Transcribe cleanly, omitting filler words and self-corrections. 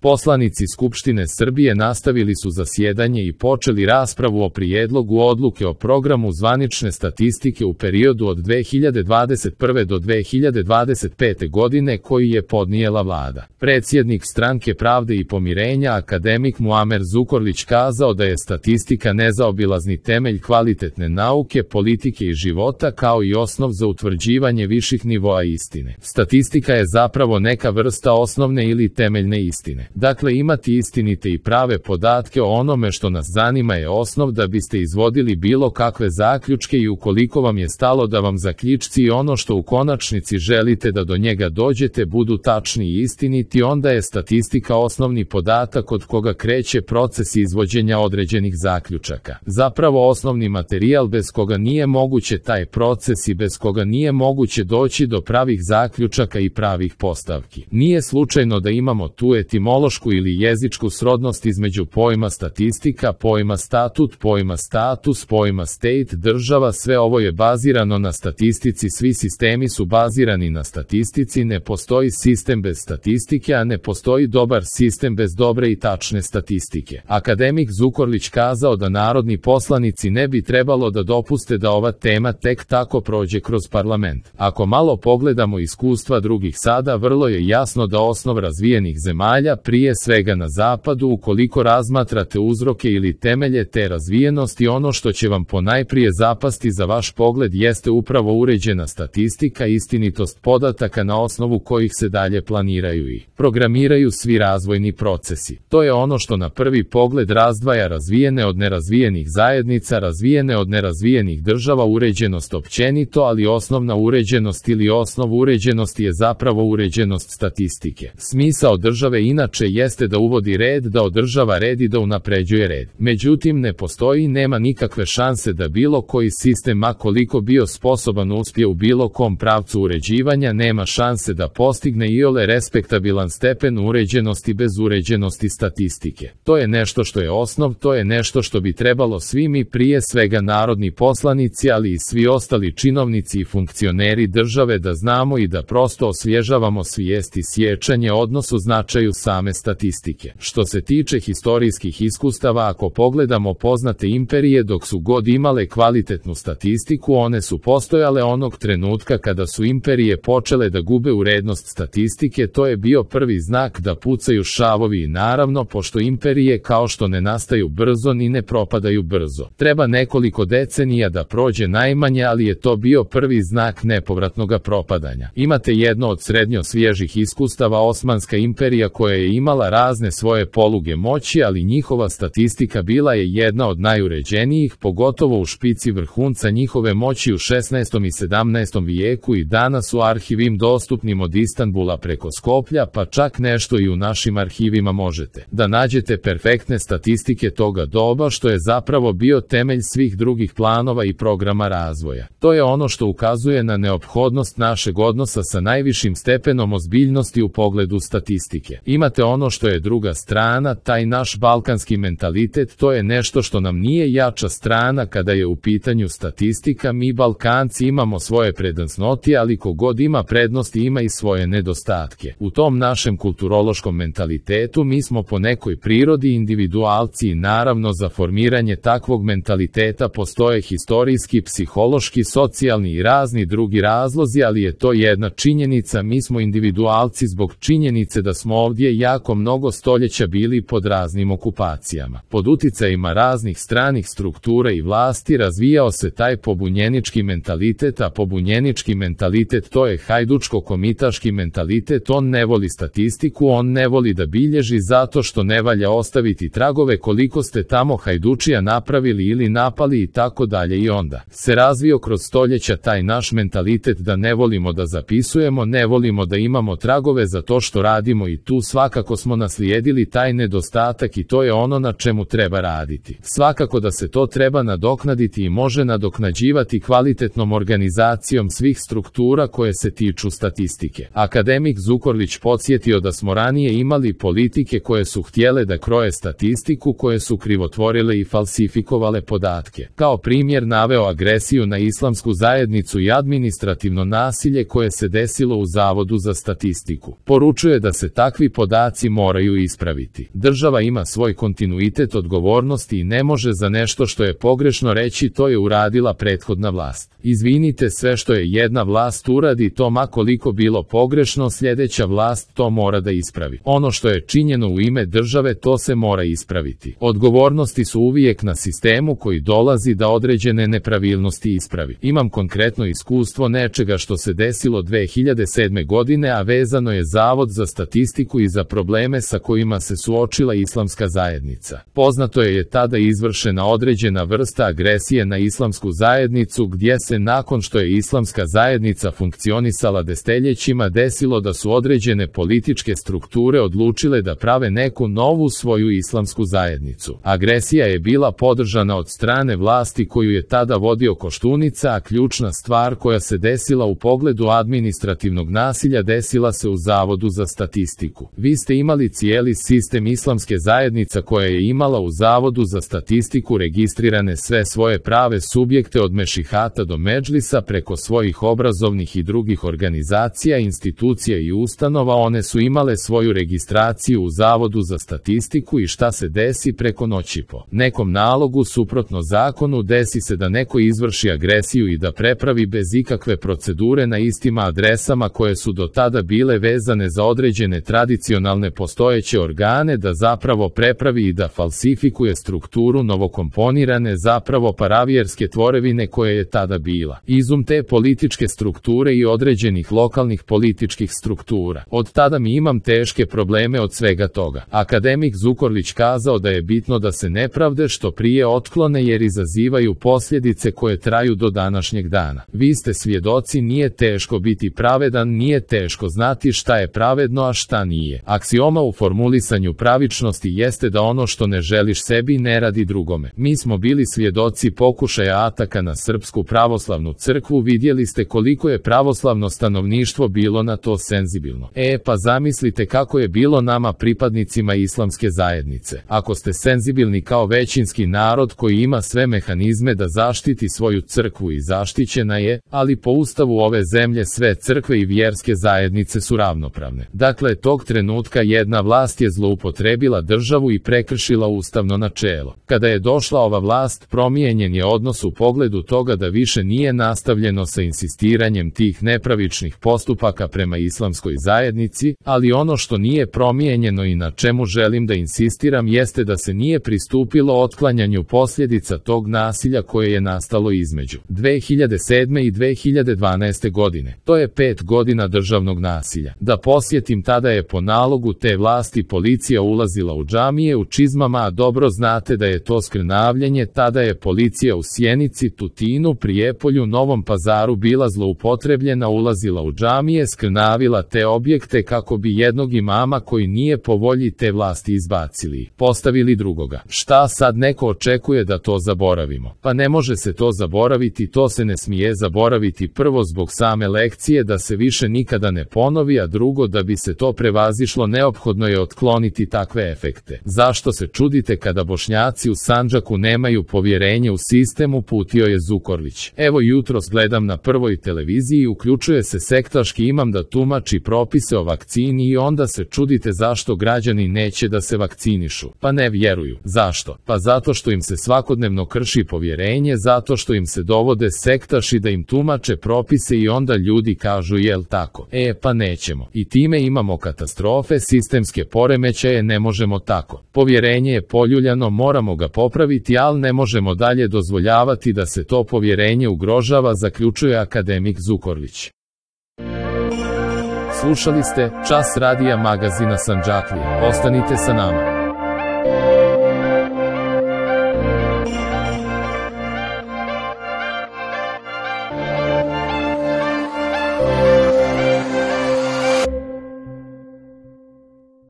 Poslanici Skupštine Srbije nastavili su zasjedanje i počeli raspravu o prijedlogu odluke o programu zvanične statistike u periodu od 2021. do 2025. godine koji je podnijela vlada. Predsjednik Stranke pravde i pomirenja akademik Muamer Zukorlić kazao da je statistika nezaobilazni temelj kvalitetne nauke, politike i života kao i osnov za utvrđivanje viših nivoa istine. Statistika je zapravo neka vrsta osnovne ili temeljne istine. Dakle, imati istinite i prave podatke o onome što nas zanima je osnov da biste izvodili bilo kakve zaključke i ukoliko vam je stalo da vam zaključci i ono što u konačnici želite da do njega dođete budu tačni i istiniti, onda je statistika osnovni podatak od koga kreće proces izvođenja određenih zaključaka. Zapravo osnovni materijal bez koga nije moguće taj proces i bez koga nije moguće doći do pravih zaključaka i pravih postavki. Nije slučajno da imamo tu etimološku ili jezičku srodnost između pojma statistika, pojma statut, pojma status, pojma state, država, sve ovo je bazirano na statistici, svi sistemi su bazirani na statistici, ne postoji sistem bez statistike, a ne postoji dobar sistem bez dobre i tačne statistike. Akademik Zukorlić kazao da narodni poslanici ne bi trebalo da dopuste da ova tema tek tako prođe kroz parlament. Ako malo pogledamo iskustva drugih sada, vrlo je jasno da osnov razvijenih zemalja, prije svega na zapadu, ukoliko razmatrate uzroke ili temelje te razvijenosti, ono što će vam ponajprije zapasti za vaš pogled jeste upravo uređena statistika, istinitost podataka na osnovu kojih se dalje planiraju i programiraju svi razvojni procesi. To je ono što na prvi pogled razdvaja razvijene od nerazvijenih zajednica, razvijene od nerazvijenih država, uređenost općenito, ali osnovna uređenost ili osnov uređenosti je zapravo uređenost statistike. Smisao države inače jeste da uvodi red, da održava red i da unapređuje red. Međutim, ne postoji, nema nikakve šanse da bilo koji sistem, ma koliko bio sposoban, uspije u bilo kom pravcu uređivanja, nema šanse da postigne iole respektabilan stepen uređenosti bez uređenosti statistike. To je nešto što je osnov, to je nešto što bi trebalo svi mi, prije svega narodni poslanici, ali i svi ostali činovnici i funkcioneri države, da znamo i da prosto osvježavamo svijest i sjećanje odnosu značaju same statistike. Što se tiče historijskih iskustava, ako pogledamo poznate imperije, dok su god imale kvalitetnu statistiku, one su postojale onog trenutka kada su imperije počele da gube urednost statistike, to je bio prvi znak da pucaju šavovi i naravno, pošto imperije kao što ne nastaju brzo ni ne propadaju brzo. Treba nekoliko decenija da prođe najmanje, ali je to bio prvi znak nepovratnog propadanja. Imate jedno od srednjo svježih iskustava, Osmanska imperija koja je imala razne svoje poluge moći, ali njihova statistika bila je jedna od najuređenijih, pogotovo u špici vrhunca njihove moći u 16. i 17. vijeku i danas u arhivim dostupnim od Istanbula preko Skoplja, pa čak nešto i u našim arhivima možete da nađete perfektne statistike toga doba, što je zapravo bio temelj svih drugih planova i programa razvoja. To je ono što ukazuje na neophodnost našeg odnosa sa najvišim stepenom ozbiljnosti u pogledu statistike. Imate ono što je druga strana, taj naš balkanski mentalitet, to je nešto što nam nije jača strana kada je u pitanju statistika. Mi Balkanci imamo svoje prednosti, ali kogod ima prednosti ima i svoje nedostatke. U tom našem kulturološkom mentalitetu mi smo po nekoj prirodi individualci i naravno za formiranje takvog mentaliteta postoje historijski, psihološki, socijalni i razni drugi razlozi, ali je to jedna činjenica, mi smo individualci zbog činjenice da smo ovdje jako mnogo stoljeća bili pod raznim okupacijama. Pod uticajima raznih stranih struktura i vlasti razvijao se taj pobunjenički mentalitet, a pobunjenički mentalitet to je hajdučko-komitaški mentalitet, on ne voli statistiku, on ne voli da bilježi zato što ne valja ostaviti tragove koliko ste tamo hajdučija napravili ili napali i tako dalje, i onda se razvio kroz stoljeća taj naš mentalitet da ne volimo da zapisujemo, ne volimo da imamo tragove za to što radimo i tu svakako smo naslijedili taj nedostatak i to je ono na čemu treba raditi. Svakako da se to treba nadoknaditi i može nadoknađivati kvalitetnom organizacijom svih struktura koje se tiču statistike. Akademik Zukorlić podsjetio da smo ranije imali politike koje su htjele da kroje statistiku, koje su krivotvorile i falsifikovale podatke. Kao primjer naveo agresiju na islamsku zajednicu i administrativno nasilje koje se desilo u Zavodu za statistiku. Poručuje da se takvi podaci vršnjaci moraju ispraviti. Država ima svoj kontinuitet odgovornosti i ne može za nešto što je pogrešno reći to je uradila prethodna vlast. Izvinite, sve što je jedna vlast uradi, to ma koliko bilo pogrešno, sljedeća vlast to mora da ispravi. Ono što je činjeno u ime države, to se mora ispraviti. Odgovornosti su uvijek na sistemu koji dolazi da određene nepravilnosti ispravi. Imam konkretno iskustvo nečega što se desilo 2007. godine, a vezano je Zavod za statistiku i za probleme sa kojima se suočila islamska zajednica. Poznato je tada izvršena određena vrsta agresije na islamsku zajednicu, gdje se nakon što je islamska zajednica funkcionisala desetljećima desilo da su određene političke strukture odlučile da prave neku novu svoju islamsku zajednicu. Agresija je bila podržana od strane vlasti koju je tada vodio Koštunica, a ključna stvar koja se desila u pogledu administrativnog nasilja desila se u Zavodu za statistiku. Vi ste imali cijeli sistem islamske zajednica koja je imala u Zavodu za statistiku registrirane sve svoje prave subjekte od mešihata do medžlisa preko svojih obrazovnih i drugih organizacija, institucija i ustanova. One su imale svoju registraciju u Zavodu za statistiku i šta se desi preko noći po nekom nalogu suprotno zakonu desi se da neko izvrši agresiju i da prepravi bez ikakve procedure na istim adresama koje su do tada bile vezane za određene tradicionalne postojeće organe, da zapravo prepravi i da falsifikuje strukturu novokomponirane zapravo paravjerske tvorevine koje je tada bila izum te političke strukture i određenih lokalnih političkih struktura. Od tada mi imam teške probleme od svega toga. Akademik Zukorlić kazao da je bitno da se nepravde što prije otklone jer izazivaju posljedice koje traju do današnjeg dana. Vi ste svjedoci, nije teško biti pravedan, nije teško znati šta je pravedno, a šta nije. Aksioma u formulisanju pravičnosti jeste da ono što ne želiš sebi ne radi drugome. Mi smo bili svjedoci pokušaja ataka na Srpsku pravoslavnu crkvu, vidjeli ste koliko je pravoslavno stanovništvo bilo na to senzibilno. Pa zamislite kako je bilo nama pripadnicima islamske zajednice. Ako ste senzibilni kao većinski narod koji ima sve mehanizme da zaštiti svoju crkvu i zaštićena je, ali po ustavu ove zemlje sve crkve i vjerske zajednice su ravnopravne. Dakle, tog trenutka jedna vlast je zloupotrebila državu i prekršila ustavno načelo. Kada je došla ova vlast, promijenjen je odnos u pogledu toga da više nije nastavljeno sa insistiranjem tih nepravičnih postupaka prema islamskoj zajednici, ali ono što nije promijenjeno i na čemu želim da insistiram jeste da se nije pristupilo otklanjanju posljedica tog nasilja koje je nastalo između 2007. i 2012. godine. To je 5 godina državnog nasilja. Da posjetim, tada je po nalogu te vlasti policija ulazila u džamije u čizmama, a dobro znate da je to skrnavljenje. Tada je policija u Sjenici, Tutinu, Prijepolju, Novom Pazaru bila zloupotrebljena, ulazila u džamije, skrnavila te objekte kako bi jednog imama koji nije po volji te vlasti izbacili, postavili drugoga. Šta sad neko očekuje da to zaboravimo? Pa ne može se to zaboraviti, to se ne smije zaboraviti, prvo zbog same lekcije da se više nikada ne ponovi, a drugo da bi se to prevazišlo neophodno je otkloniti takve efekte. Zašto se čudite kada Bošnjaci u Sandžaku nemaju povjerenje u sistem, uputio je Zukorlić. Evo jutros gledam na Prvoj televiziji, uključuje se sektaški imam da tumači propise o vakcini i onda se čudite zašto građani neće da se vakcinišu. Pa ne vjeruju. Zašto? Pa zato što im se svakodnevno krši povjerenje, zato što im se dovode sektaši da im tumače propise i onda ljudi kažu jel tako? Pa nećemo. I time imamo katastrofe, sistemske poremećaje, ne možemo tako. Povjerenje je poljuljano, moramo ga popraviti, ali ne možemo dalje dozvoljavati da se to povjerenje ugrožava, zaključuje akademik Zukorlić. Slušali ste Čas radija magazina Sandžaklije. Ostanite sa nama.